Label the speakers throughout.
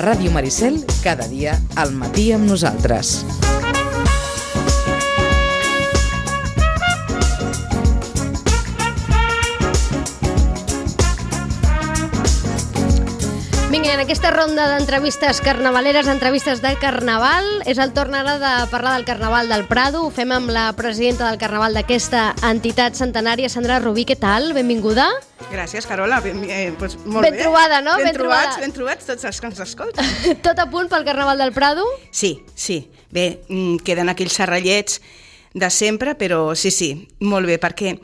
Speaker 1: Ràdio Maricel, cada dia al matí amb nosaltres.
Speaker 2: Vinga, en aquesta ronda d'entrevistes carnavaleres, entrevistes de carnaval, és el torn ara de parlar del Carnaval del Prado. Ho fem amb la presidenta del Carnaval d'aquesta entitat centenària, Sandra Rubí. Què tal? Benvinguda.
Speaker 3: Gràcies, Carola. Molt
Speaker 2: bé. Ben trobada, no?
Speaker 3: Ben trobats tots els que ens escolten.
Speaker 2: Tot a punt pel Carnaval del Prado?
Speaker 3: Sí. Bé, queden aquells serrallets de sempre, però sí, molt bé, perquè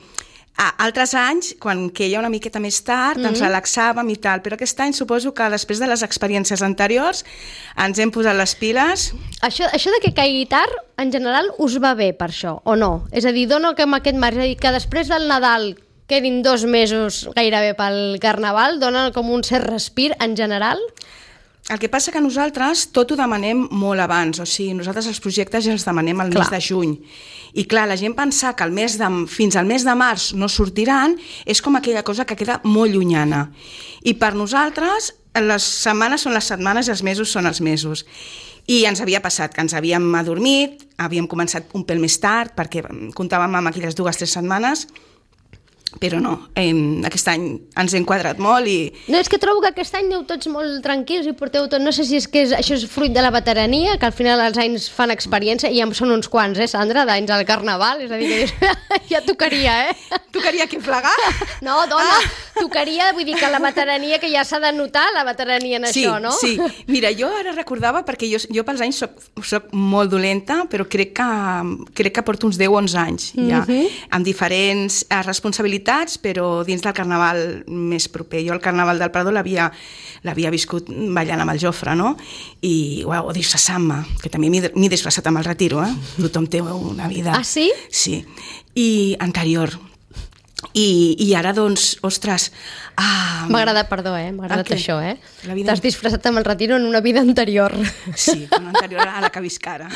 Speaker 3: altres anys, quan queia una miqueta més tard, ens relaxàvem i tal, però aquest any suposo que després de les experiències anteriors ens hem posat les piles.
Speaker 2: Això de que caigui tard, en general, us va bé per això, o no? És a dir, dona com aquest marge, és a dir, que després del Nadal quedin 2 mesos gairebé pel Carnaval, dona com un cert respir en general?
Speaker 3: El que passa que nosaltres tot ho demanem molt abans, o sigui, nosaltres els projectes ja els demanem al mes de juny. I clar, la gent pensar que fins al mes de març no sortiran és com aquella cosa que queda molt llunyana. I per nosaltres les setmanes són les setmanes i els mesos són els mesos. I ens havia passat que ens havíem adormit, havíem començat un pèl més tard perquè comptàvem amb aquelles 2-3 setmanes, però no, aquest any ens hem quadrat molt i...
Speaker 2: No, és que trobo que aquest any aneu tots molt tranquils i porteu tot... No sé si és que això és fruit de la veterania, que al final els anys fan experiència, i ja són uns quants, Sandra, d'anys al Carnaval, és a dir, que ja tocaria,
Speaker 3: Tocaria que plegar?
Speaker 2: No, dona, tocaria, vull dir que la veterania, que ja s'ha de notar la veterania en això, no?
Speaker 3: Sí, mira, jo ara recordava, perquè jo pels anys soc molt dolenta, però crec que porto uns 10 o 11 anys, ja, amb diferents responsabilitats, però dins del Carnaval més proper. Jo el Carnaval del Prado l'havia viscut ballant amb el Jofre, no? I, o disfressant-me, que també m'he disfressat amb el Retiro, Tothom té una vida...
Speaker 2: Ah, sí?
Speaker 3: Sí. I anterior. I ara, doncs, ostres...
Speaker 2: M'ha agradat, perdó, m'ha agradat això, T'has disfressat amb el Retiro en una vida anterior.
Speaker 3: Sí, una anterior a la que visc ara.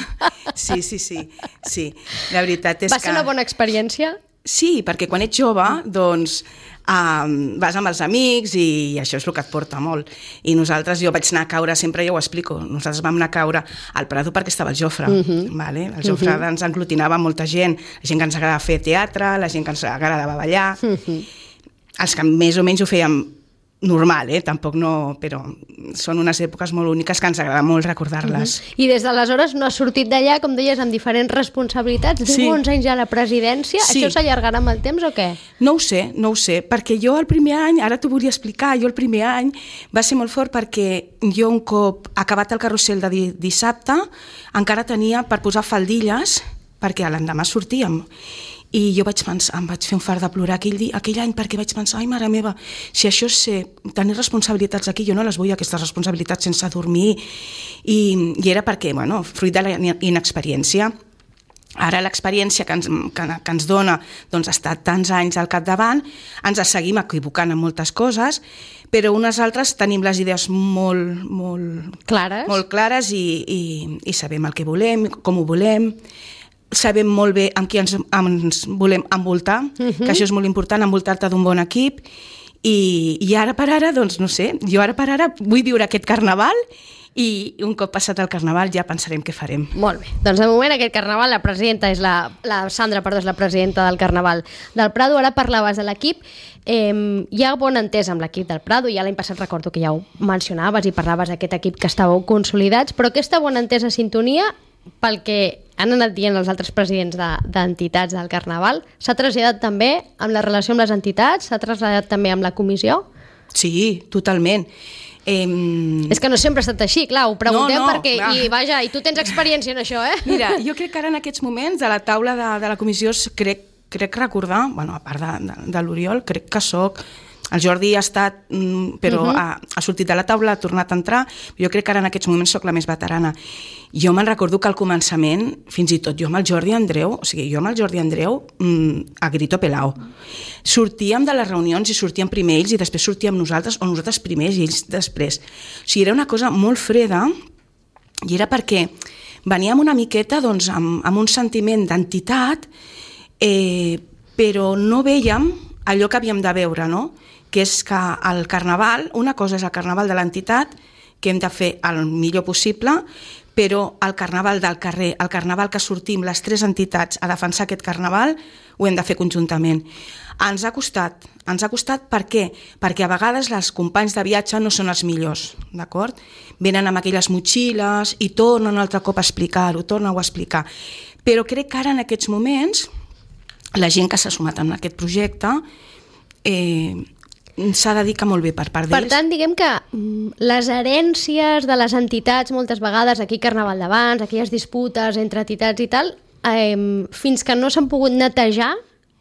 Speaker 3: Sí. La veritat és que...
Speaker 2: Va ser una bona experiència?
Speaker 3: Sí, perquè quan ets jove, doncs, vas amb els amics i això és el que et porta molt. I nosaltres, jo vaig anar a caure, sempre ja ho explico, nosaltres vam anar a caure al Prado perquè estava el Jofre, vale? El Jofre ens englutinava molta gent, la gent que ens agradava fer teatre, la gent que ens agradava ballar, els que més o menys ho fèiem normal, tampoc no, però són unes èpoques molt úniques que ens agrada molt recordar-les.
Speaker 2: I des d'aleshores no has sortit d'allà, com deies, amb diferents responsabilitats, 10 o 11 anys ja a la presidència, això s'allargarà amb el temps o què?
Speaker 3: No ho sé, perquè jo el primer any, ara t'ho volia explicar, jo el primer any va ser molt fort perquè jo un cop acabat el carrusel de dissabte encara tenia per posar faldilles perquè l'endemà sortíem. I jo em vaig fer un fart de plorar aquell any perquè vaig pensar, ai, mare meva, si això és tenir responsabilitats aquí, jo no les vull, aquestes responsabilitats sense dormir. I era perquè, fruit de la inexperiència. Ara l'experiència que ens dona doncs, estar tants anys al capdavant, ens seguim equivocant en moltes coses, però unes altres tenim les idees molt clares i sabem el que volem, com ho volem, sabem molt bé amb qui ens volem envoltar, que això és molt important, envoltar-te d'un bon equip, i ara per ara, doncs no sé, jo ara per ara vull viure aquest Carnaval i un cop passat el Carnaval ja pensarem què farem.
Speaker 2: Molt bé, doncs de moment aquest Carnaval la presidenta és la Sandra, és la presidenta del Carnaval del Prado. Ara parlaves de l'equip, hi ha bona entesa amb l'equip del Prado, ja l'any passat recordo que ja ho mencionaves i parlaves d'aquest equip que estàveu consolidats, però aquesta bona entesa, sintonia, pel que han anat dient els altres presidents d'entitats del Carnaval, s'ha traslladat també amb la relació amb les entitats? S'ha traslladat també amb la comissió?
Speaker 3: Sí, totalment.
Speaker 2: És que no sempre ha estat així, clar, ho preguntem perquè, i tu tens experiència en això,
Speaker 3: Mira, jo crec que ara en aquests moments a la taula de la comissió crec recordar, a part de l'Oriol, crec que soc... El Jordi ha estat, però ha sortit de la taula, ha tornat a entrar, jo crec que ara en aquests moments soc la més veterana. Jo me'n recordo que al començament, fins i tot jo amb el Jordi Andreu, a grito pelao. Sortíem de les reunions i sortíem primer ells i després sortíem nosaltres, o nosaltres primers i ells després. O sigui, era una cosa molt freda i era perquè veníem una miqueta doncs, amb un sentiment d'entitat, però no vèiem allò que havíem de veure, no? Que és que el Carnaval, una cosa és el Carnaval de l'entitat, que hem de fer el millor possible, però el carnaval del carrer, el carnaval que sortim les 3 entitats a defensar aquest carnaval, ho hem de fer conjuntament. Ens ha costat per què? Perquè a vegades els companys de viatge no són els millors, d'acord? Venen amb aquelles motxilles i tornen un altre cop a explicar-ho, tornen-ho a explicar. Però crec que ara en aquests moments la gent que s'ha sumat en aquest projecte s'ha de dir que molt bé per part d'ells.
Speaker 2: Per tant, diguem que les herències de les entitats, moltes vegades, aquí Carnaval d'abans, aquelles disputes entre entitats i tal, fins que no s'han pogut netejar,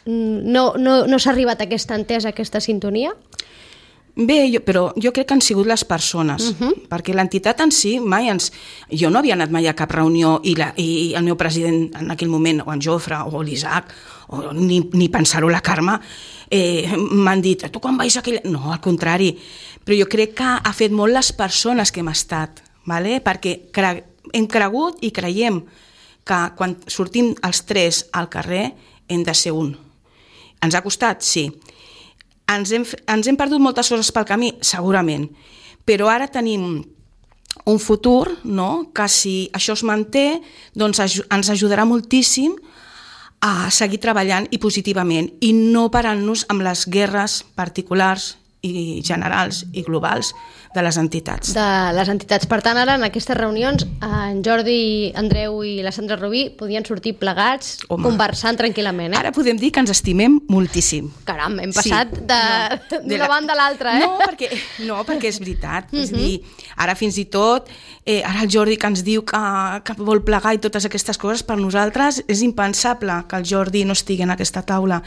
Speaker 2: no s'ha arribat a aquesta entesa, a aquesta sintonia?
Speaker 3: Bé, però jo crec que han sigut les persones, perquè l'entitat en si mai Jo no havia anat mai a cap reunió i el meu president en aquell moment, o en Jofre, o l'Isaac, ni pensar-ho la Carme, m'han dit, tu quan vais a aquella... No, al contrari, però jo crec que ha fet molt les persones que hem estat, ¿vale? Perquè hem cregut i creiem que quan sortim els 3 al carrer hem de ser un. Ens ha costat? Sí. Ens hem perdut moltes coses pel camí? Segurament. Però ara tenim un futur, no?, que si això es manté, doncs ens ajudarà moltíssim a seguir treballant i positivament i no parant-nos amb les guerres particulars i generals i globals de les entitats.
Speaker 2: De les entitats. Per tant, ara en aquestes reunions en Jordi, Andreu i la Sandra Rubí podien sortir plegats, conversant tranquil·lament.
Speaker 3: Ara podem dir que ens estimem moltíssim.
Speaker 2: Caram, hem passat d'una banda a l'altra,
Speaker 3: No, perquè és veritat. És dir, ara fins i tot, ara el Jordi que ens diu que vol plegar i totes aquestes coses, per nosaltres és impensable que el Jordi no estigui en aquesta taula,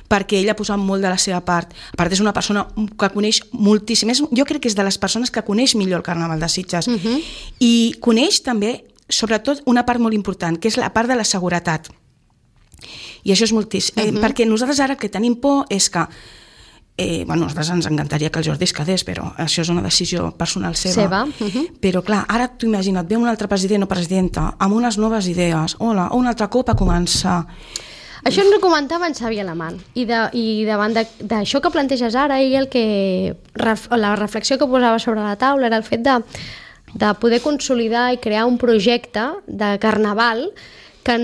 Speaker 3: perquè ell ha posat molt de la seva part. A part, és una persona que coneix moltíssim. Jo crec que és de les persones que coneix millor el Carnaval de Sitges. I coneix també, sobretot, una part molt important, que és la part de la seguretat. I això és moltíssim. Perquè nosaltres ara que tenim por és que a nosaltres ens encantaria que el Jordi es quedés, però això és una decisió personal seva. Però clar, ara t'ho imagina't, ve un altre president o presidenta amb unes noves idees, un altre cop a començar.
Speaker 2: Això ens ho comentava en Xavi Alamán i davant d'això que planteges ara, la reflexió que posava sobre la taula era el fet de poder consolidar i crear un projecte de carnaval que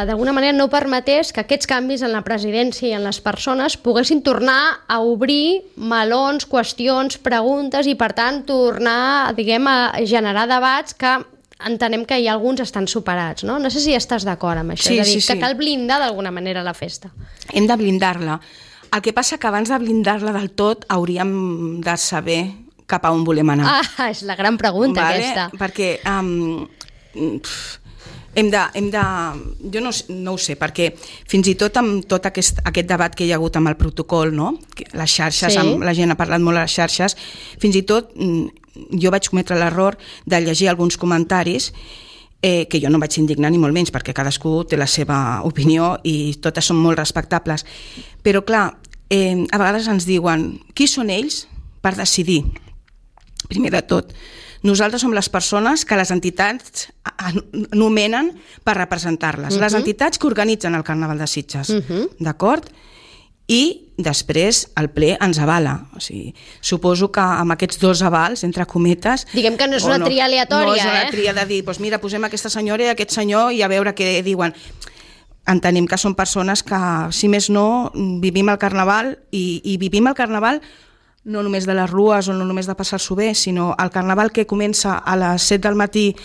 Speaker 2: d'alguna manera no permetés que aquests canvis en la presidència i en les persones poguessin tornar a obrir melons, qüestions, preguntes i per tant tornar, diguem, a generar debats que entenem que hi ha alguns estan superats, no? No sé si estàs d'acord amb això, és a dir, que cal blindar d'alguna manera la festa.
Speaker 3: Hem de blindar-la. El que passa que abans de blindar-la del tot hauríem de saber cap a on volem anar.
Speaker 2: És la gran pregunta, aquesta.
Speaker 3: Perquè jo no ho sé, perquè fins i tot amb tot aquest debat que hi ha hagut amb el protocol, no? Les xarxes, la gent ha parlat molt a les xarxes, fins i tot jo vaig cometre l'error de llegir alguns comentaris que jo no vaig indignar ni molt menys, perquè cadascú té la seva opinió i totes són molt respectables. Però clar, a vegades ens diuen qui són ells per decidir. Primer de tot, nosaltres som les persones que les entitats nomenen per representar-les. Les entitats que organitzen el Carnaval de Sitges, d'acord? I després el ple ens avala. O sigui, suposo que amb aquests 2 avals, entre cometes...
Speaker 2: Diguem que no és una tria aleatòria,
Speaker 3: No és una tria de dir, doncs mira, posem aquesta senyora i aquest senyor i a veure què diuen. Entenem que són persones que, si més no, vivim el Carnaval i vivim el Carnaval no només de les rues o no només de passar-s'ho bé, sinó el Carnaval que comença a les 7 del matí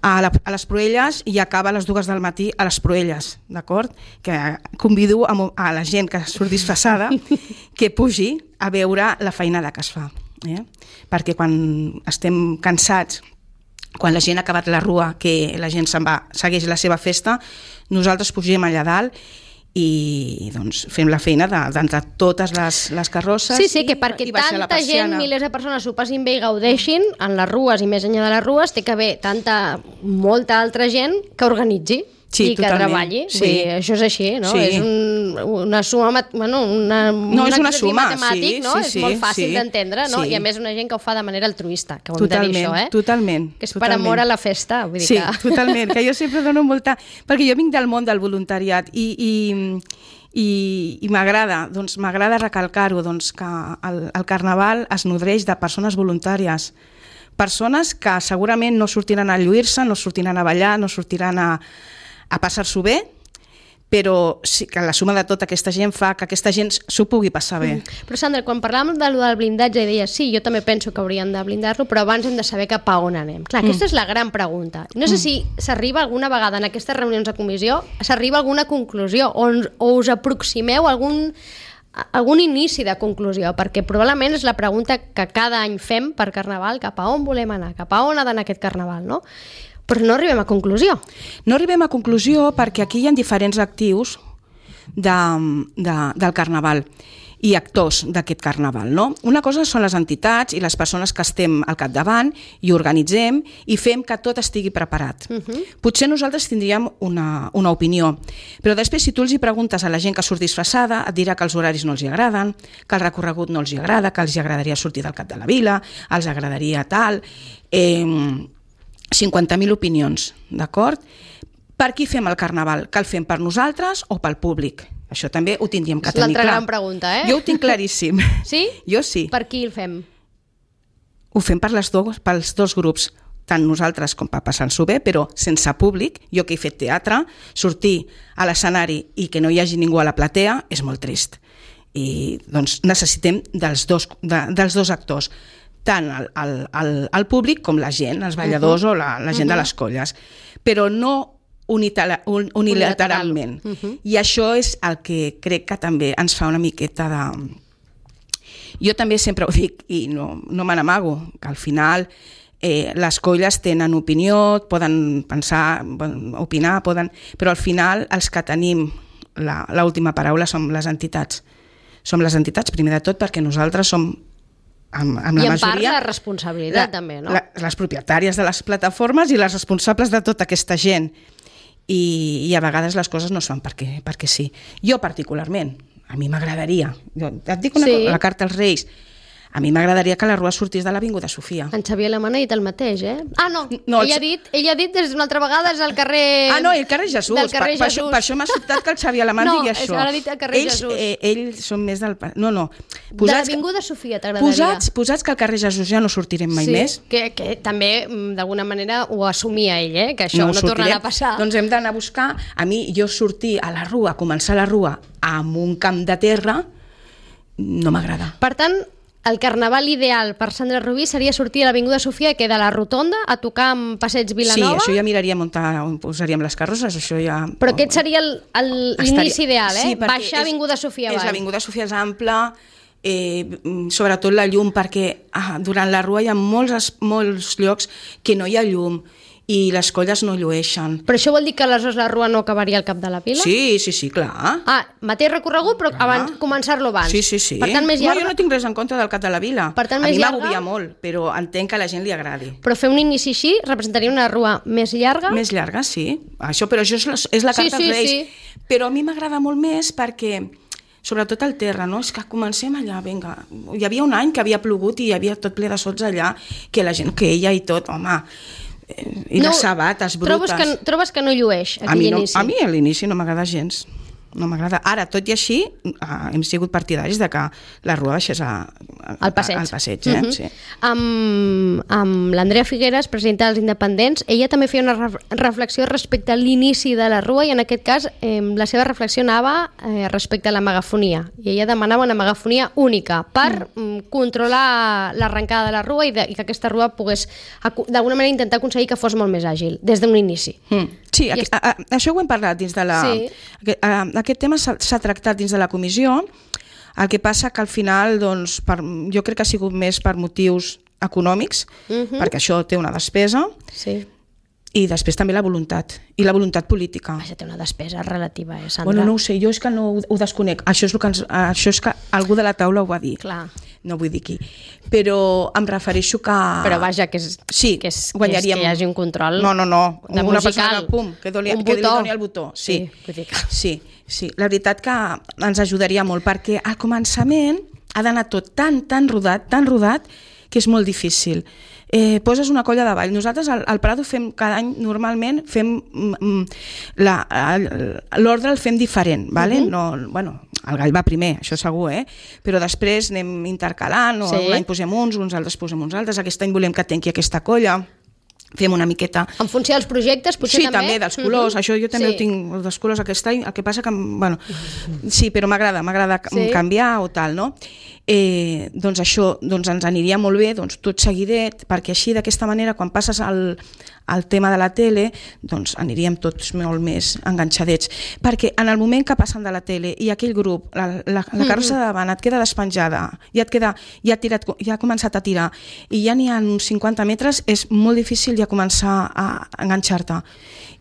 Speaker 3: a les Proelles i acaba a les 2 del matí a les Proelles, d'acord? Que convido a la gent que surt disfressada que pugi a veure la feinada que es fa. Perquè quan estem cansats, quan la gent ha acabat la rua, que la gent se'n va, segueix la seva festa, nosaltres pugem allà dalt i doncs fem la feina d'entrar totes les carrosses
Speaker 2: que perquè tanta gent, milers de persones s'ho passin bé i gaudeixin en les rues i més enllà de les rues, té que haver molta altra gent que organitzi i que treballi. Això és així, no? És una suma, un exercici matemàtic, no? És molt fàcil d'entendre, no? I a més una gent que ho fa de manera altruista, que ho hem de dir això,
Speaker 3: Totalment.
Speaker 2: Que és per amor a la festa.
Speaker 3: Totalment, que jo sempre dono molta... Perquè jo vinc del món del voluntariat i m'agrada recalcar-ho, que el Carnaval es nodreix de persones voluntàries, persones que segurament no sortiran a lluir-se, no sortiran a ballar, no sortiran a passar-s'ho bé, però sí que la suma de tota aquesta gent fa que aquesta gent s'ho pugui passar bé.
Speaker 2: Però Sandra, quan parlàvem del blindatge, deies, sí, jo també penso que haurien de blindar-lo, però abans hem de saber cap a on anem. Clar, aquesta és la gran pregunta. No sé si s'arriba alguna vegada en aquestes reunions de comissió, s'arriba a alguna conclusió, o us aproximeu a algun inici de conclusió, perquè probablement és la pregunta que cada any fem per Carnaval, cap a on volem anar, cap a on ha d'anar aquest Carnaval, no? Però no arribem a conclusió.
Speaker 3: No arribem a conclusió perquè aquí hi ha diferents actius del Carnaval i actors d'aquest Carnaval, no? Una cosa són les entitats i les persones que estem al capdavant i organitzem i fem que tot estigui preparat. Potser nosaltres tindríem una opinió, però després si tu els hi preguntes a la gent que surt disfressada et dirà que els horaris no els hi agraden, que el recorregut no els hi agrada, que els hi agradaria sortir del cap de la vila, els agradaria tal... 50.000 opinions, d'acord? Per qui fem el Carnaval? Que el fem per nosaltres o pel públic? Això també ho tindríem que tenir clar.
Speaker 2: L'altra gran pregunta, eh?
Speaker 3: Jo ho tinc claríssim.
Speaker 2: Sí?
Speaker 3: Jo sí.
Speaker 2: Per qui el fem?
Speaker 3: Ho fem pels dos grups, tant nosaltres com per passar-s'ho bé, però sense públic. Jo que he fet teatre, sortir a l'escenari i que no hi hagi ningú a la platea és molt trist. I doncs necessitem dels dos actors, tant el públic com la gent, els balladors o la gent de les colles, però no unilateralment. I això és el que crec que també ens fa una miqueta de... Jo també sempre ho dic i no me n'amago, que al final les colles tenen opinió, poden pensar, opinar, però al final els que tenim l'última paraula som les entitats. Som les entitats, primer de tot, perquè nosaltres som amb la majoria...
Speaker 2: I en part la responsabilitat també, no?
Speaker 3: Les propietàries de les plataformes i les responsables de tota aquesta gent. I a vegades les coses no es fan perquè sí. Jo particularment, a mi m'agradaria, et dic una cosa, la carta als Reis, a mi m'agradaria que la rua sortís de l'Avinguda Sofia.
Speaker 2: En Xavier Alemany ha dit el mateix, eh? Ah, no, ell ha dit des d'una altra vegada és el carrer...
Speaker 3: Ah, no, el carrer Jesús. Per això m'ha sobtat que el Xavier Alemany digui això.
Speaker 2: No, ara ha dit el carrer Jesús.
Speaker 3: Ells són més del... No.
Speaker 2: De l'Avinguda Sofia t'agradaria.
Speaker 3: Posats que al carrer Jesús ja no sortirem mai més.
Speaker 2: Que també, d'alguna manera, ho assumia ell, que això no tornarà a passar.
Speaker 3: Doncs hem d'anar a buscar... A mi, jo sortir a la rua, començar la rua amb un camp de terra, no m'agrada.
Speaker 2: Per tant, el Carnaval ideal per Sandra Rubí seria sortir a l'Avinguda Sofia, que de la Rotonda a tocar amb Passeig Vilanova.
Speaker 3: Sí, això ja miraríem on posaríem les carrosses, això ja...
Speaker 2: Però aquest seria l'inici ideal, eh? Baixar Avinguda Sofia avall.
Speaker 3: L'Avinguda Sofia és ampla, sobretot la llum, perquè durant la rua hi ha molts llocs que no hi ha llum i les colles no llueixen.
Speaker 2: Però això vol dir que aleshores la rua no acabaria al cap de la vila?
Speaker 3: Sí, clar.
Speaker 2: Mateix recorregut, però abans començar-lo abans.
Speaker 3: Sí.
Speaker 2: Per tant, més llarga...
Speaker 3: No, jo no tinc res en contra del cap de la vila.
Speaker 2: Per tant,
Speaker 3: a mi m'agobia molt, però entenc que a la gent li agradi.
Speaker 2: Però fer un inici així representaria una rua més llarga?
Speaker 3: Més llarga, sí. Però això és la carta als Reis. Sí. Però a mi m'agrada molt més perquè... Sobretot al terra, no? És que comencem allà, vinga. Hi havia un any que havia plogut i hi havia tot ple de sots allà, que la gent queia i tot, home... I les sabates brutes.
Speaker 2: Trobes que no llueix aquell inici?
Speaker 3: A mi a l'inici no m'agrada gens. No m'agrada. Ara, tot i així, hem sigut partidaris de que la rua baixés al passeig. Sí.
Speaker 2: Amb l'Andrea Figueres, presidenta dels Independents, ella també feia una reflexió respecte a l'inici de la rua i en aquest cas la seva reflexió anava respecte a la megafonia. I ella demanava una megafonia única per controlar l'arrencada de la rua i que aquesta rua pogués d'alguna manera intentar aconseguir que fos molt més àgil, des d'un inici.
Speaker 3: Sí, això ho hem parlat dins de la... Aquest tema s'ha tractat dins de la comissió, el que passa que al final doncs, jo crec que ha sigut més per motius econòmics, perquè això té una despesa, i després també la voluntat, i la voluntat política.
Speaker 2: Vaja, té una despesa relativa, Sandra?
Speaker 3: Bueno, no ho sé, jo és que no ho desconec, això és que algú de la taula ho va dir.
Speaker 2: Clar.
Speaker 3: No vull dir qui, però em refereixo que...
Speaker 2: Però vaja, que
Speaker 3: guanyaríem...
Speaker 2: que hi hagi un control
Speaker 3: No.
Speaker 2: de
Speaker 3: una
Speaker 2: musical.
Speaker 3: Persona, que li doni el botó. Sí. La veritat que ens ajudaria molt, perquè al començament ha d'anar tot tan rodat, que és molt difícil. Poses una colla de ball. Nosaltres al Prado fem cada any, normalment fem l'ordre el fem diferent, vale? el gall va primer, això segur, però després anem intercalant, o un any posem uns altres posem uns altres, aquest any volem que tanqui aquesta colla, fem una miqueta...
Speaker 2: En funció dels projectes, potser també?
Speaker 3: Sí, també, dels colors. Això jo també ho tinc, dels colors aquest any. El que passa que, bueno, sí, però m'agrada canviar o tal, no? Doncs això, ens aniria molt bé, tot seguidet, perquè així, d'aquesta manera, quan passes al tema de la tele, doncs aniríem tots molt més enganxadets. Perquè en el moment que passen de la tele i aquell grup, la carrossa de davant et queda despenjada, ja ha començat a tirar, i ja n'hi ha uns 50 metres, és molt difícil ja començar a enganxar-te.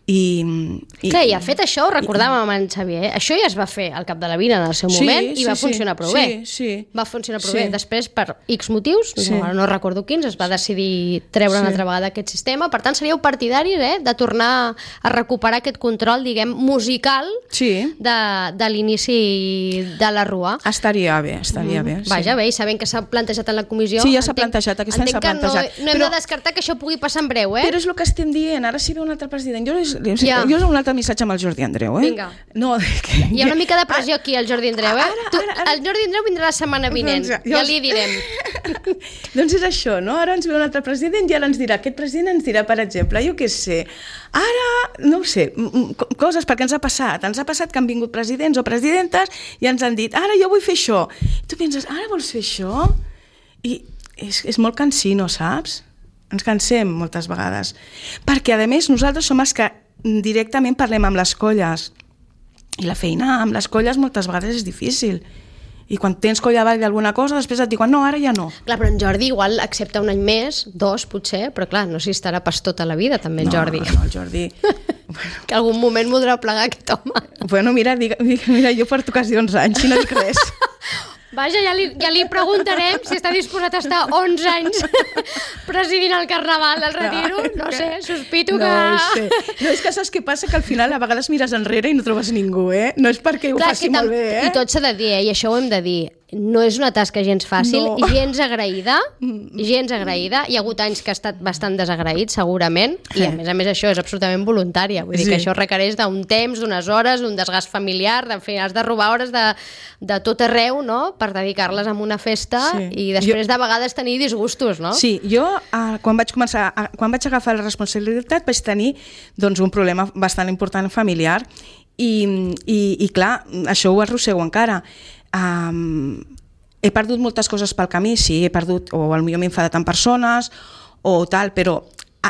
Speaker 2: Clar, i ha fet això, ho recordàvem amb en Xavier, això ja es va fer al Cap de la Vila en el seu moment i va funcionar prou bé. Va funcionar prou bé. Després, per X motius, no recordo quins, es va decidir treure una altra vegada aquest sistema. Per tant, seríeu partidaris de tornar a recuperar aquest control, diguem, musical de l'inici de la Rua.
Speaker 3: Estaria bé.
Speaker 2: Vaja, bé, i sabent que s'ha plantejat en la comissió...
Speaker 3: Sí, ja s'ha plantejat, aquest any s'ha plantejat.
Speaker 2: No hem de descartar que això pugui passar en breu,
Speaker 3: Però és el que estem dient, ara si ve un altre president... Jo és un altre missatge amb el Jordi Andreu,
Speaker 2: Vinga. Hi ha una mica de pressió aquí al Jordi Andreu, El Jordi Andreu vindrà la setmana vinent, ja li direm.
Speaker 3: Doncs és això, no? Ara ens ve un altre president i ara ens dirà, aquest president ens dirà, per exemple, jo què sé, ara, no ho sé, coses, perquè ens ha passat que han vingut presidents o presidentes i ens han dit, ara jo vull fer això. I tu penses, ara vols fer això? I és molt cansino, saps? Ens cansem moltes vegades. Perquè, a més, nosaltres som els que directament parlem amb les colles. I la feina amb les colles moltes vegades és difícil. I quan tens colla avall d'alguna cosa, després et diuen, no, ara ja no.
Speaker 2: Clar, però en Jordi igual accepta un any més, 2 potser, però clar, no sé si estarà pas tota la vida també en Jordi.
Speaker 3: No, el Jordi...
Speaker 2: Que algun moment voldrà plegar aquest home.
Speaker 3: Bueno, mira, jo porto quasi 11 anys, si no dic res.
Speaker 2: Vaja, ja li preguntarem si està disposat a estar 11 anys presidint el Carnaval del Retiro. No sé, sospito que...
Speaker 3: No, és que saps què passa? Que al final a vegades mires enrere i no trobes ningú, No és perquè ho faci molt bé,
Speaker 2: I tot s'ha de dir, i això ho hem de dir. No és una tasca gens fàcil, gens agraïda. Hi ha hagut anys que ha estat bastant desagraït, segurament, i a més això és absolutament voluntària. Vull dir que això requereix d'un temps, d'unes hores, d'un desgast familiar, has de robar hores de tot arreu, no?, per dedicar-les a una festa i després de vegades tenir disgustos, no?
Speaker 3: Sí, jo quan vaig agafar la responsabilitat vaig tenir un problema bastant important familiar i clar, això ho arrossego encara. He perdut moltes coses pel camí, sí, he perdut, o potser m'he enfadat amb persones o tal, però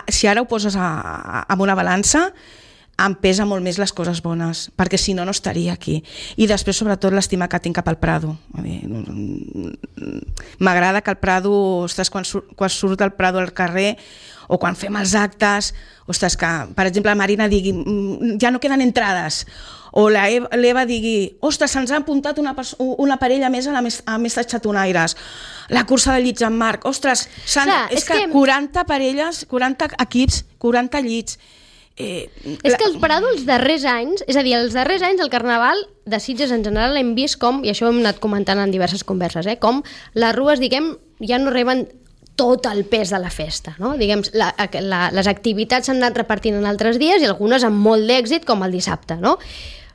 Speaker 3: si ara ho poses en una balança em pesa molt més les coses bones, perquè si no, no estaria aquí. I després, sobretot, l'estima que tinc cap al Prado. M'agrada que el Prado, ostres, quan surt el Prado al carrer, o quan fem els actes, ostres, que, per exemple, la Marina digui, ja no queden entrades, o l'Eva digui, ostres, se'ns ha apuntat una parella més a més de xatonaires, la cursa de llits en Marc, ostres, és que 40 parelles, 40 equips, 40 llits.
Speaker 2: És que el Prado els darrers anys, és a dir, els darrers anys del Carnaval de Sitges en general hem vist com, i això ho hem anat comentant en diverses converses, com les rues, diguem, ja no reben tot el pes de la festa, no? Diguem, les activitats s'han anat repartint en altres dies i algunes amb molt d'èxit, com el dissabte, no?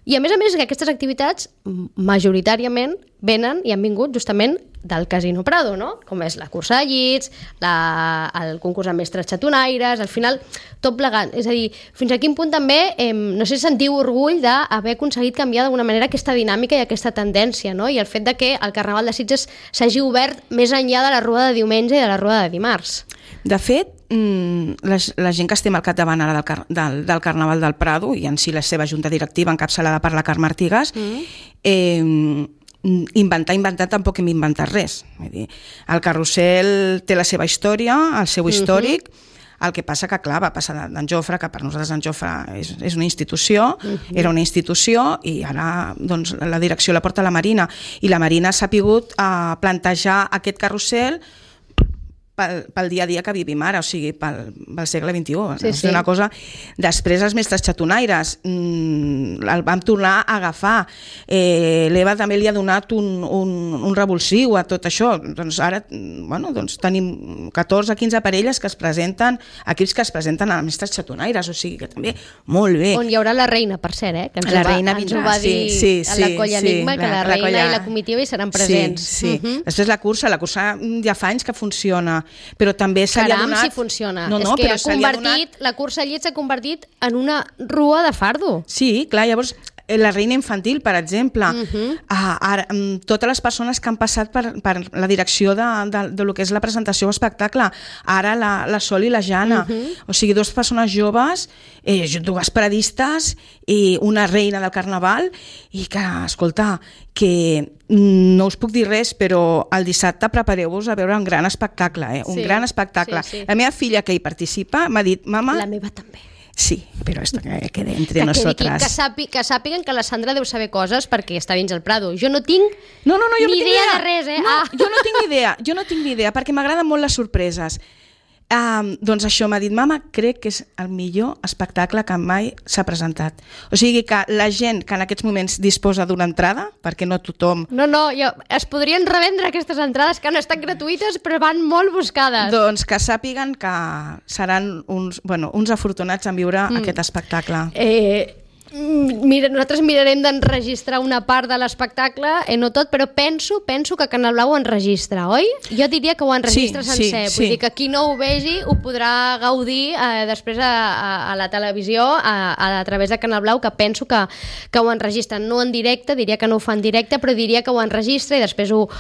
Speaker 2: I a més que aquestes activitats majoritàriament venen i han vingut justament del Casino Prado, no? Com és la cursa de llits, el concurs amb mestres xatonaires, al final tot plegat. És a dir, fins a quin punt també, no sé si sentiu orgull d'haver aconseguit canviar d'alguna manera aquesta dinàmica i aquesta tendència, no? I el fet de que el Carnaval de Sitges s'hagi obert més enllà de la rua de diumenge i de la rua de dimarts.
Speaker 3: De fet, la gent que estem al capdavant ara del Carnaval del Prado i en si la seva junta directiva encapçalada per la Carme Artigas, inventar tampoc hem inventat res. El carrusel té la seva història, el seu històric. El que passa que, clar, va passar d'en Jofre, que per nosaltres en Jofre és una institució, era una institució, i ara doncs, la direcció la porta la Marina. I la Marina s'ha pogut plantejar aquest carrusel pel dia a dia que vivim ara, o sigui, pel segle XXI.
Speaker 2: Sí,
Speaker 3: És una cosa... Després els mestres xatonaires el vam tornar a agafar. L'Eva també li ha donat un revulsiu a tot això. Doncs ara tenim 14 o 15 parelles que es presenten, equips que es presenten a mestres xatonaires, o sigui que també molt bé.
Speaker 2: On hi haurà la reina, per cert, que ens ho va dir a la Colla Enigma, que la reina i la comitiva hi seran presents.
Speaker 3: Sí. Després la cursa ja fa anys que funciona, però també se li ha donat...
Speaker 2: Caram, si funciona. És que la cursa al llit s'ha convertit en una rua de fardo.
Speaker 3: Sí, clar, llavors la reina infantil, per exemple, ara, totes les persones que han passat per la direcció de lo que és la presentació o espectacle, ara la Sol i la Jana, o sigui, dues persones joves, dues paradistes i una reina del carnaval, i que, escolta, que no us puc dir res, però el dissabte prepareu-vos a veure un gran espectacle, un gran espectacle. La meva filla que hi participa m'ha dit, mama...
Speaker 2: La meva també.
Speaker 3: Sí, però esto que quede entre nosotras.
Speaker 2: Que sàpiguen que la Sandra deu saber coses perquè està dins el Prado. Jo no tinc ni idea de res,
Speaker 3: Jo no tinc ni idea, perquè m'agraden molt les sorpreses. Doncs això m'ha dit, mama, crec que és el millor espectacle que mai s'ha presentat. O sigui que la gent que en aquests moments disposa d'una entrada, perquè no tothom...
Speaker 2: Es podrien revendre aquestes entrades que han estat gratuïtes però van molt buscades.
Speaker 3: Doncs que sàpiguen que seran uns afortunats en viure aquest espectacle.
Speaker 2: Nosaltres mirarem d'enregistrar una part de l'espectacle, no tot, però penso que Canal Blau ho enregistra, oi? Jo diria que ho enregistra sencer, vull dir que qui no ho vegi ho podrà gaudir després a la televisió a través de Canal Blau, que penso que ho enregistren, no en directe, diria que no ho fan en directe, però diria que ho enregistra i després ho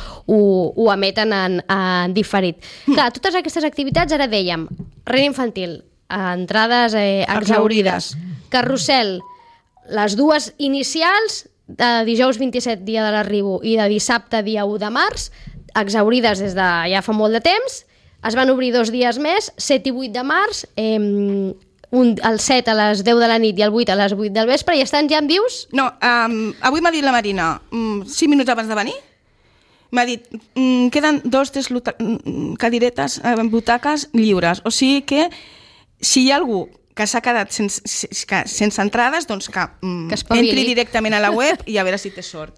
Speaker 2: emeten en diferit. Clar, totes aquestes activitats, ara dèiem, reina infantil, entrades exaurides, carrusel, les dues inicials, de dijous 27, dia de l'arribo, i de dissabte, dia 1 de març, exaurides des de ja fa molt de temps, es van obrir 2 dies més, 7 i 8 de març, el 7 a les 10 de la nit i el 8 a les 8 del vespre, i estan ja en vius?
Speaker 3: No, avui m'ha dit la Marina, 5 minuts abans de venir, m'ha dit, queden 2 cadiretes, butaques lliures, o sigui que si hi ha algú que s'ha quedat sense entrades, doncs que entri directament a la web i a veure si té sort.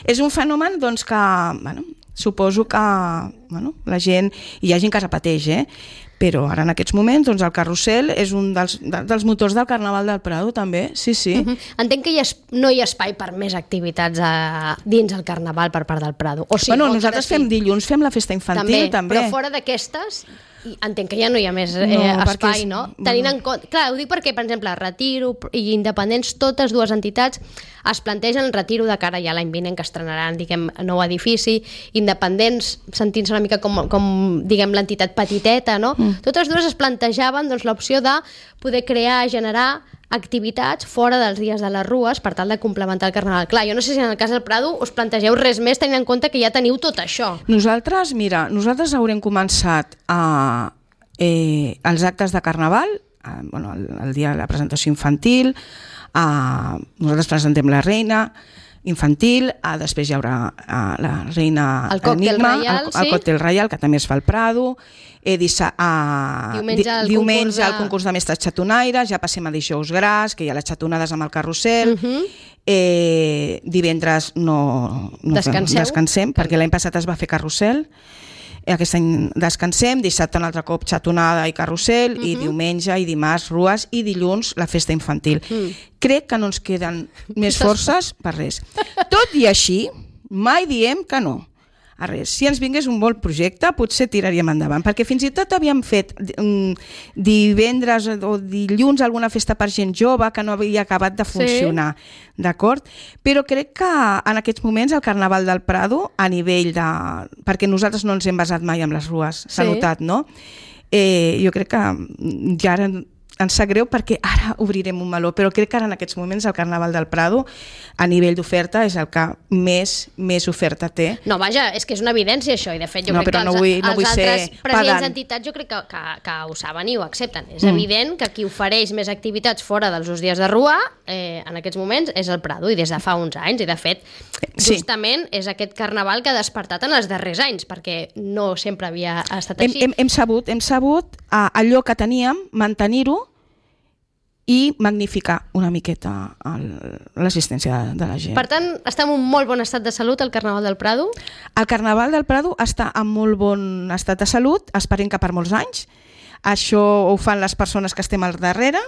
Speaker 3: És un fenomen doncs, que suposo que la gent, hi ha gent que repeteix, però ara en aquests moments doncs, el carrusel és un dels motors del Carnaval del Prado també, sí.
Speaker 2: Entenc que no hi ha espai per més activitats dins el Carnaval per part del Prado.
Speaker 3: Nosaltres fem dilluns, fem la festa infantil també.
Speaker 2: Però fora d'aquestes... Entenc que ja no hi ha més espai, no? Tenint en compte... Clar, ho dic perquè, per exemple, Retiro i Independents, totes dues entitats es plantegen el Retiro de cara ja l'any vinent, que estrenaran, diguem, nou edifici. Independents, sentint-se una mica com diguem, l'entitat petiteta, no? Totes dues es plantejaven doncs, l'opció de poder crear, generar activitats fora dels dies de les rues per tal de complementar el Carnaval. Clar, jo no sé si en el cas del Prado us plantegeu res més tenint en compte que ja teniu tot això.
Speaker 3: Nosaltres haurem començat els actes de Carnaval, el dia de la presentació infantil, nosaltres presentem la reina infantil, després hi haurà la reina Enigma, el còctel reial, que també es fa al Prado, diumenge el concurs de mestres xatonaires, ja passem a dijous gras, que hi ha les xatonades amb el carrusel, divendres no descansem, perquè l'any passat es va fer carrusel, aquest any descansem, dissabte un altre cop xatonada i carrusel, i diumenge i dimarts rues, i dilluns la festa infantil. Crec que no ens queden més forces per res. Tot i així, mai diem que no a res. Si ens vingués un bon projecte, potser tiraríem endavant, perquè fins i tot havíem fet divendres o dilluns alguna festa per gent jove que no havia acabat de funcionar, d'acord? Però crec que en aquests moments el Carnaval del Prado, a nivell de... perquè nosaltres no ens hem basat mai en les rues, s'ha notat, no? Jo crec que ja ara ens sap greu perquè ara obrirem un meló, però crec que ara en aquests moments el Carnaval del Prado a nivell d'oferta és el que més oferta té.
Speaker 2: No, vaja, és que és una evidència això, i de fet jo crec que
Speaker 3: els
Speaker 2: altres presidents d'entitats jo crec que ho saben i ho accepten. És evident que qui ofereix més activitats fora dels dos dies de rua en aquests moments és el Prado, i des de fa uns anys, i de fet justament és aquest Carnaval que ha despertat en els darrers anys, perquè no sempre havia estat així.
Speaker 3: Hem sabut allò que teníem, mantenir-ho i magnificar una miqueta l'assistència de la gent.
Speaker 2: Per tant, està en un molt bon estat de salut el Carnaval del Prado?
Speaker 3: El Carnaval del Prado està en molt bon estat de salut, esperem que per molts anys. Això ho fan les persones que estem al darrere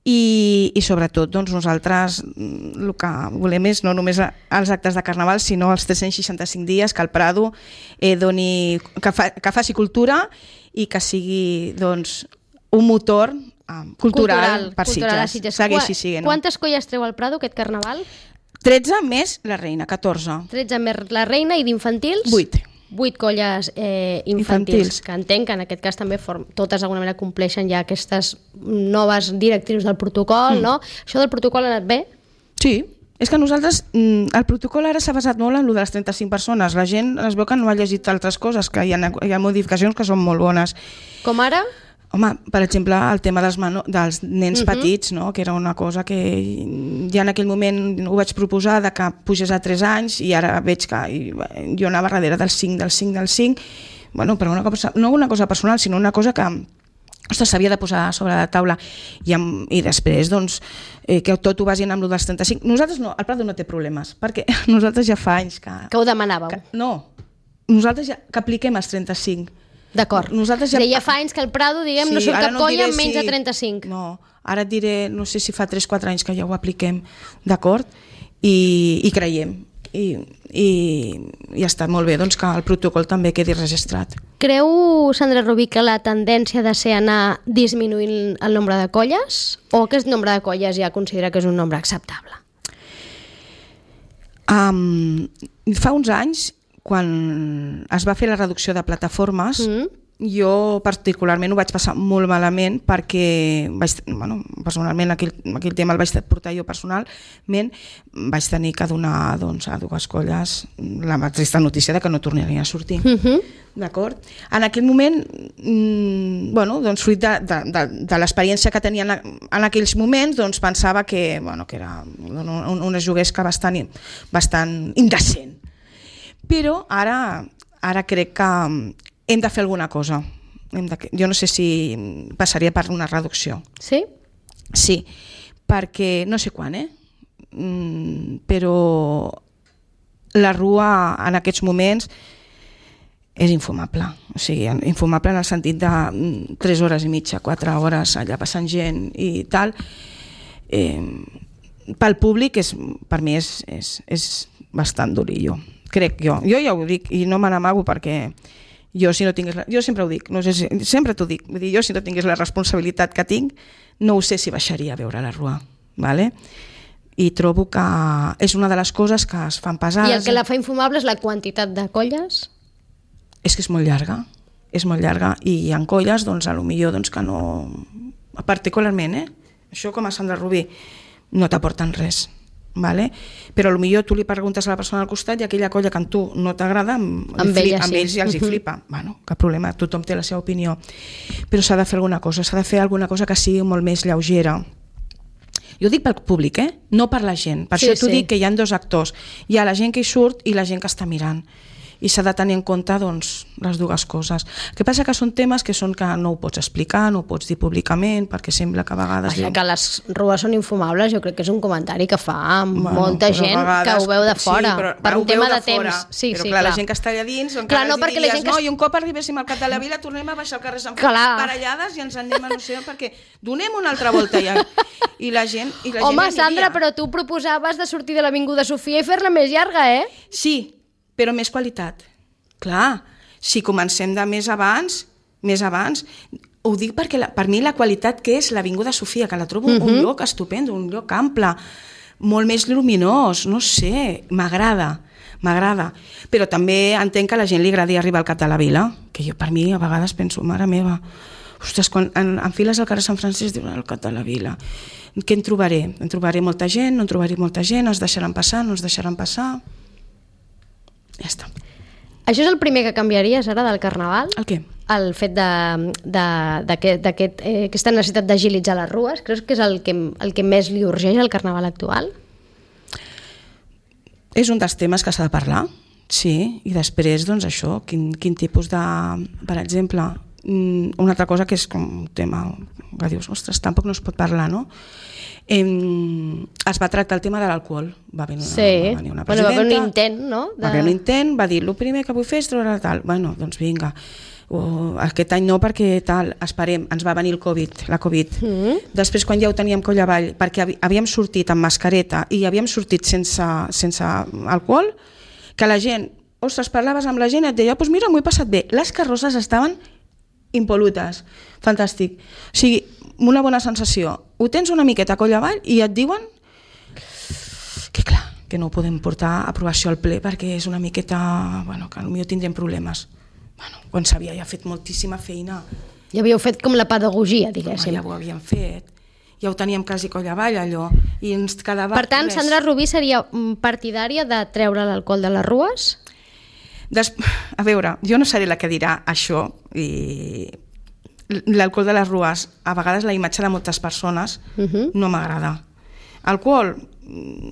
Speaker 3: i sobretot doncs, nosaltres el que volem és no només els actes de Carnaval, sinó els 365 dies que el Prado que faci cultura i que sigui doncs, un motor cultural per Sitges. Segueixi sent.
Speaker 2: Quantes colles treu al Prado aquest Carnaval?
Speaker 3: 13 més la reina, 14.
Speaker 2: 13 més la reina, i d'infantils? 8. 8 colles infantils, que entenc que en aquest cas també totes d'alguna manera compleixen ja aquestes noves directrius del protocol, no? Això del protocol ha anat bé?
Speaker 3: Sí. És que nosaltres, el protocol ara s'ha basat molt en el de les 35 persones. La gent es veu que no ha llegit altres coses, que hi ha modificacions que són molt bones.
Speaker 2: Com ara?
Speaker 3: Home, per exemple, el tema dels nens petits, no? Que era una cosa que ja en aquell moment ho vaig proposar de que pugés a 3 anys i ara veig que jo anava darrere del 5. Bueno, però no una cosa personal, sinó una cosa que s'havia de posar sobre la taula i després doncs, que tot ho basin amb el dels 35. Nosaltres no, el Prado no té problemes, perquè nosaltres ja fa anys que
Speaker 2: ho demanàveu.
Speaker 3: Nosaltres ja que apliquem els 35.
Speaker 2: D'acord. Ja fa anys que el Prado, diguem, no surt cap colla amb menys de 35.
Speaker 3: No, ara et diré, no sé si fa 3-4 anys que ja ho apliquem, d'acord? I creiem. I està molt bé doncs, que el protocol també quedi registrat.
Speaker 2: Creu, Sandra Rubí, que la tendència de ser anar disminuint el nombre de colles, o aquest nombre de colles ja considera que és un nombre acceptable?
Speaker 3: Fa uns anys, quan es va fer la reducció de plataformes, jo particularment ho vaig passar molt malament perquè personalment aquell tema el vaig portar jo personalment, vaig tenir que donar doncs, a 2 colles la trista notícia de que no tornarien a sortir. D'acord? En aquell moment, doncs, fruit de l'experiència que tenia en aquells moments, doncs, pensava que era una juguesca bastant indecent. Però ara crec que hem de fer alguna cosa. Jo no sé si passaria per una reducció.
Speaker 2: Sí?
Speaker 3: Sí, perquè no sé quan, però la rua en aquests moments és infumable. O sigui, infumable en el sentit de 3 hores i mitja, 4 hores allà passant gent i tal. Pel públic, per mi és bastant durillo. Crec jo ja ho dic i no me n'amago perquè jo sempre ho dic, no sé sempre t'ho dic, vull dir, jo si no tingués la responsabilitat que tinc no ho sé si baixaria a veure la rua, ¿vale? I trobo que és una de les coses que es fan pesades.
Speaker 2: I el que la fa infumable és la quantitat de colles?
Speaker 3: És que és molt llarga i hi ha colles doncs, a lo millor doncs, que no, particularment, això com a Sandra Rubí no t'aporten res. Vale? Però potser tu li preguntes a la persona al costat i aquella colla que a tu no t'agrada amb ells ja els hi flipa. Bueno, cap problema, tothom té la seva opinió, però s'ha de fer alguna cosa que sigui molt més lleugera. Jo dic pel públic, no per la gent, per això t'ho dic que hi ha 2 actors, hi ha la gent que hi surt i la gent que està mirant, i s'ha de tenir en compte doncs, les 2 coses. El que passa que són temes que no ho pots explicar, no ho pots dir públicament, perquè sembla que a vegades...
Speaker 2: Que les rues són infumables, jo crec que és un comentari que fa molta gent que ho veu de fora, per un tema de temps.
Speaker 3: Però clar, la gent que està allà dins, encara els diries, i un cop arribéssim al Cat de la Vila tornem a baixar al carrer Sant Feliu parellades i ens anem a no sé perquè donem una altra volta ja. I la gent
Speaker 2: Home, Sandra, però tu proposaves de sortir de l'Avinguda Sofia i fer-la més llarga,
Speaker 3: Sí, però més qualitat. Clar, si comencem de més abans, ho dic perquè per mi la qualitat que és l'Avinguda Sofia, que la trobo un lloc estupendo, un lloc ample, molt més lluminós, no sé, m'agrada. Però també entenc que a la gent li agradi arribar al Cap de la Vila, que jo per mi a vegades penso, mare meva, Ostres, quan enfiles al carrer Sant Francesc diuen el Cat de la Vila. Què en trobaré? En trobaré molta gent, no en trobaré molta gent, es deixaran passar, no es deixaran passar... Ja està.
Speaker 2: Això és el primer que canviaries ara del Carnaval?
Speaker 3: El què?
Speaker 2: El fet d'aquesta necessitat d'agilitzar les rues. Creus que és el que més li urgeix al Carnaval actual?
Speaker 3: És un dels temes que s'ha de parlar, sí, i després, doncs això, quin tipus de... Per exemple, una altra cosa que és com un tema que dius, ostres, tampoc no es pot parlar, no? Es va tractar el tema de l'alcohol. Va venir una presidenta...
Speaker 2: va haver un intent, no?
Speaker 3: Va haver un intent, va dir, el primer que vull fer és treure tal. Bueno, doncs vinga. Aquest any no, perquè tal, esperem, ens va venir la Covid. Després, quan ja ho teníem coll avall, perquè havíem sortit amb mascareta i havíem sortit sense alcohol, que la gent, ostres, parlaves amb la gent i et deia, doncs mira, m'ho he passat bé. Les carrosses estaven impolutes. Fantàstic. O sigui, una bona sensació. Ho tens una miqueta coll avall i et diuen que clar, que no ho podem portar a aprovació al ple perquè és una miqueta, bueno, que potser tindrem problemes. Bueno, quan s'havia ja fet moltíssima feina.
Speaker 2: Ja havíeu fet com la pedagogia, diguéssim.
Speaker 3: Ja ho havíem fet. Ja ho teníem quasi coll avall, allò. I ens quedava...
Speaker 2: Per tant, Sandra Rubí seria partidària de treure l'alcohol de les rues?
Speaker 3: A veure, jo no seré la que dirà això, i l'alcohol de les rues, a vegades la imatge de moltes persones no m'agrada. Alcohol,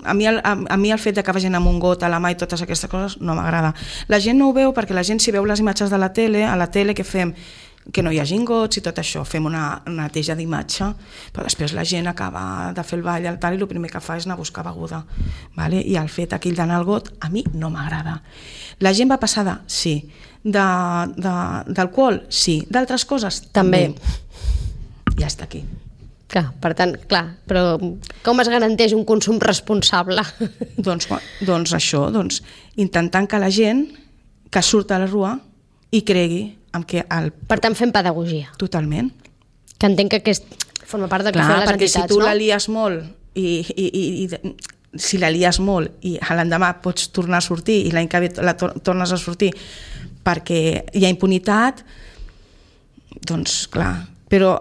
Speaker 3: a mi el fet de que vagin amb un got a la mà i totes aquestes coses no m'agrada. La gent no ho veu perquè la gent si veu les imatges de la tele, a la tele què fem? Que no hi hagi gots i tot això, fem una neteja d'imatge, però després la gent acaba de fer el ball i el primer que fa és anar a buscar beguda, vale? I el fet aquell d'anar al got a mi no m'agrada. La gent va passada? Sí. D'alcohol? Sí. D'altres coses?
Speaker 2: També.
Speaker 3: Ja està aquí.
Speaker 2: Clar, per tant, clar, però com es garanteix un consum responsable?
Speaker 3: Doncs això, intentant que la gent que surt a la rua hi cregui amb que
Speaker 2: Per tant, fem pedagogia.
Speaker 3: Totalment.
Speaker 2: Que entenc que forma part del que fan les
Speaker 3: perquè
Speaker 2: entitats,
Speaker 3: si tu la lies molt i si la lies molt i l'endemà pots tornar a sortir i l'any que ve tornes a sortir perquè hi ha impunitat, doncs clar, però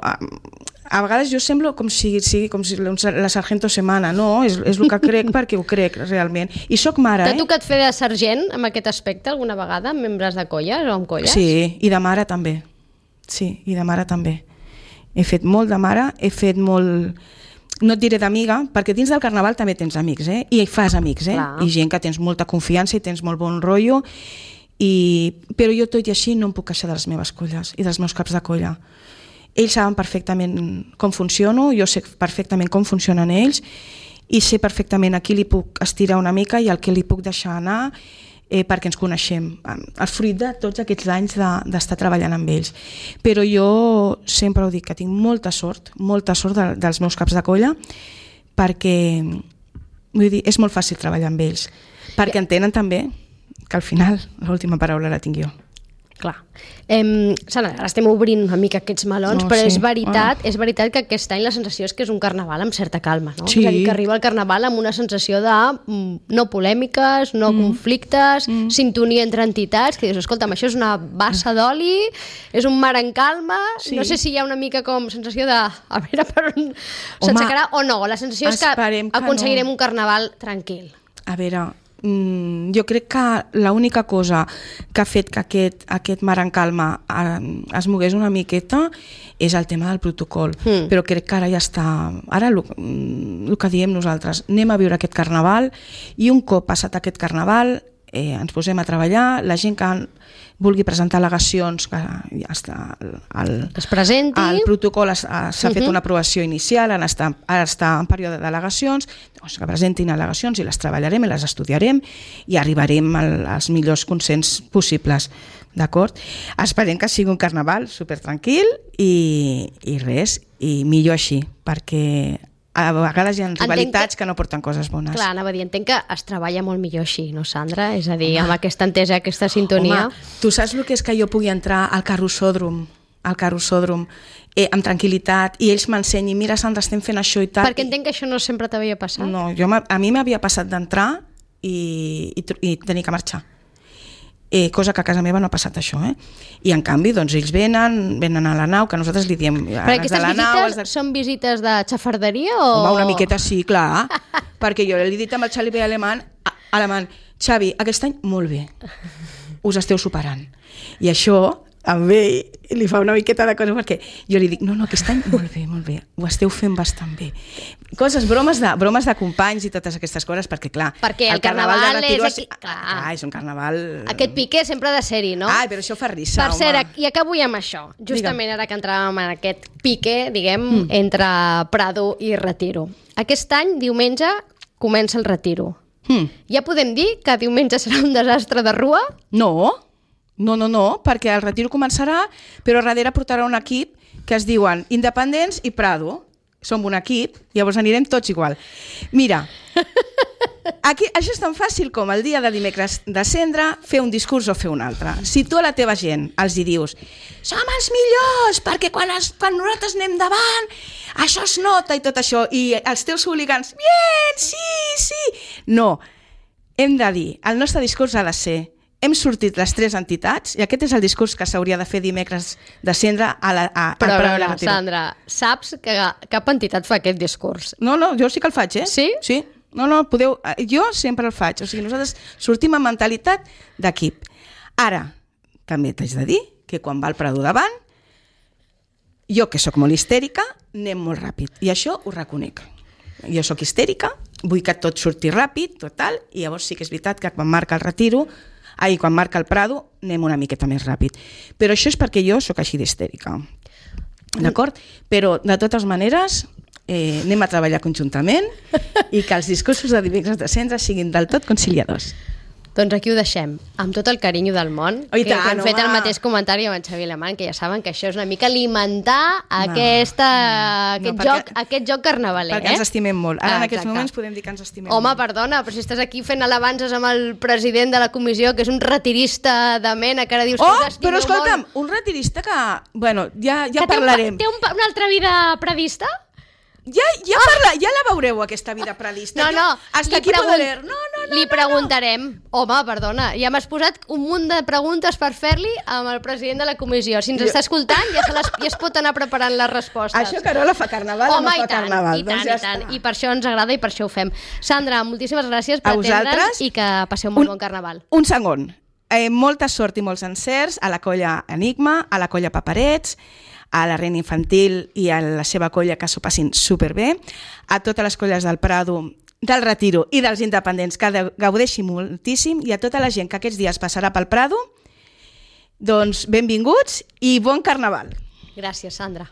Speaker 3: a vegades jo semblo com si la Sargento Semana, no, és el que crec perquè ho crec realment. I soc mare,
Speaker 2: T'ha tocat fer de sergent amb aquest aspecte alguna vegada, amb membres de colles o amb colles?
Speaker 3: Sí, i de mare també. Sí, i de mare també. He fet molt de mare, he fet molt... No et diré d'amiga, perquè dins del Carnaval també tens amics, i hi fas amics, i gent que tens molta confiança i tens molt bon rotllo, però jo tot i així no em puc queixar de les meves colles i dels meus caps de colla. Ells saben perfectament com funciono, jo sé perfectament com funcionen ells i sé perfectament a qui li puc estirar una mica i al que li puc deixar anar perquè ens coneixem. El fruit de tots aquests anys d'estar treballant amb ells. Però jo sempre ho dic, que tinc molta sort dels meus caps de colla perquè vull dir, és molt fàcil treballar amb ells perquè entenen també que al final l'última paraula la tinc jo.
Speaker 2: Clar. Sandra, ara estem obrint una mica aquests melons, però sí. és veritat que aquest any la sensació és que és un carnaval amb certa calma, no?
Speaker 3: Sí.
Speaker 2: És a dir, que arriba el carnaval amb una sensació de no polèmiques, no conflictes, sintonia entre entitats, que dius, escolta'm, això és una bassa d'oli, és un mar en calma, sí. No sé si hi ha una mica com sensació de a veure per on s'aixecarà o no, la sensació és que aconseguirem un carnaval tranquil.
Speaker 3: A veure, jo crec que l'única cosa que ha fet que aquest mar en calma es mogués una miqueta és el tema del protocol, però crec que ara ja està, ara el que diem nosaltres, anem a viure aquest carnaval i un cop passat aquest carnaval ens posem a treballar, la gent que vulgui presentar al·legacions que ja està
Speaker 2: es presenti.
Speaker 3: El protocol s'ha fet una aprovació inicial, ara està en període d'al·legacions, doncs que presentin al·legacions i les treballarem i les estudiarem i arribarem als millors consens possibles, d'acord? Esperem que sigui un carnaval supertranquil i res, i millor així, perquè a vegades hi ha rivalitats que no porten coses bones.
Speaker 2: Clar, anava a dir, entenc que es treballa molt millor així, no, Sandra? És a dir, amb aquesta entesa, aquesta sintonia...
Speaker 3: Home, tu saps el que és que jo pugui entrar al carrossòdrom amb tranquil·litat i ells m'ensenyin, mira, Sandra, estem fent això i tal...
Speaker 2: Perquè entenc que això no sempre t'havia passat.
Speaker 3: No, a mi m'havia passat d'entrar i tenir que marxar. cosa que a casa meva no ha passat això, I en canvi, doncs, ells venen a la nau, que nosaltres li diem...
Speaker 2: Però aquestes visites són visites de xafarderia o...?
Speaker 3: Home, una miqueta sí, clar, perquè jo li he dit amb el Xavi alemany, Xavi, aquest any molt bé, us esteu superant. I això, amb ell, li fa una miqueta de cosa, perquè jo li dic, no, aquest any molt bé, ho esteu fent bastant bé. Coses, bromes de companys i totes aquestes coses, perquè clar...
Speaker 2: Perquè el carnaval
Speaker 3: de Retiro
Speaker 2: és...
Speaker 3: Clar, és un carnaval...
Speaker 2: Aquest pique sempre ha de ser-hi, no?
Speaker 3: Ai, però això fa risa,
Speaker 2: home. Per cert, i acabo ja amb això. Justament ara que entràvem en aquest pique, diguem, entre Prado i Retiro. Aquest any, diumenge, comença el Retiro. Ja podem dir que diumenge serà un desastre de rua?
Speaker 3: No, perquè el Retiro començarà, però darrere portarà un equip que es diuen Independents i Prado. Som un equip, llavors anirem tots igual. Mira, aquí, això és tan fàcil com el dia de dimecres de cendre fer un discurs o fer un altre. Si tu a la teva gent els hi dius som els millors, perquè quan nosaltres anem davant això es nota i tot això, i els teus hooligans, bien, sí, no, hem de dir, el nostre discurs ha de ser hem sortit les 3 entitats i aquest és el discurs que s'hauria de fer dimecres de cendre
Speaker 2: Però, Sandra, saps que cap entitat fa aquest discurs?
Speaker 3: No, jo sí que el faig,
Speaker 2: Sí?
Speaker 3: Sí. No, podeu... Jo sempre el faig. O sigui, nosaltres sortim amb mentalitat d'equip. Ara, també t'haig de dir que quan va el Prado davant, jo, que sóc molt histèrica, anem molt ràpid. I això ho reconec. Jo sóc histèrica, vull que tot surti ràpid, total, i llavors sí que és veritat que quan marca el Retiro... quan marca el Prado anem una miqueta més ràpid. Però això és perquè jo sóc així d'histèrica. D'acord? Però, de totes maneres, anem a treballar conjuntament i que els discursos de dimecres de cendre siguin del tot conciliadors.
Speaker 2: Doncs aquí ho deixem, amb tot el carinyo del món,
Speaker 3: que
Speaker 2: hem fet el mateix comentari amb en Xavi Alemany, que ja saben que això és una mica alimentar aquest joc carnavaler.
Speaker 3: Perquè ens estimem molt. Ara en aquests moments podem dir que ens estimem
Speaker 2: molt. Home,
Speaker 3: molt.
Speaker 2: perdona, però si estàs aquí fent alabances amb el president de la comissió, que és un retirista de mena, que ara dius que us estimeu
Speaker 3: però escolta'm,
Speaker 2: molt.
Speaker 3: un retirista que... Bueno, ja parlarem.
Speaker 2: Té una altra vida predista?
Speaker 3: Ja la veureu, aquesta vida predista.
Speaker 2: No,
Speaker 3: hasta aquí poder...
Speaker 2: Li preguntarem. Home, perdona, ja m'has posat un munt de preguntes per fer-li amb el president de la comissió. Si ens està escoltant, ja es pot anar preparant les respostes.
Speaker 3: Això Carola fa carnaval o no fa carnaval?
Speaker 2: Home, i tant. I per això ens agrada i per això ho fem. Sandra, moltíssimes gràcies per atendre'ns i que passeu molt bon carnaval.
Speaker 3: Un segon. Molta sort i molts encerts a la colla Enigma, a la colla Paperets, a la Reina Infantil i a la seva colla, que s'ho passin superbé, a totes les colles del Prado, del Retiro i dels Independents, que gaudeixin moltíssim, i a tota la gent que aquests dies passarà pel Prado, doncs benvinguts i bon carnaval.
Speaker 2: Gràcies, Sandra.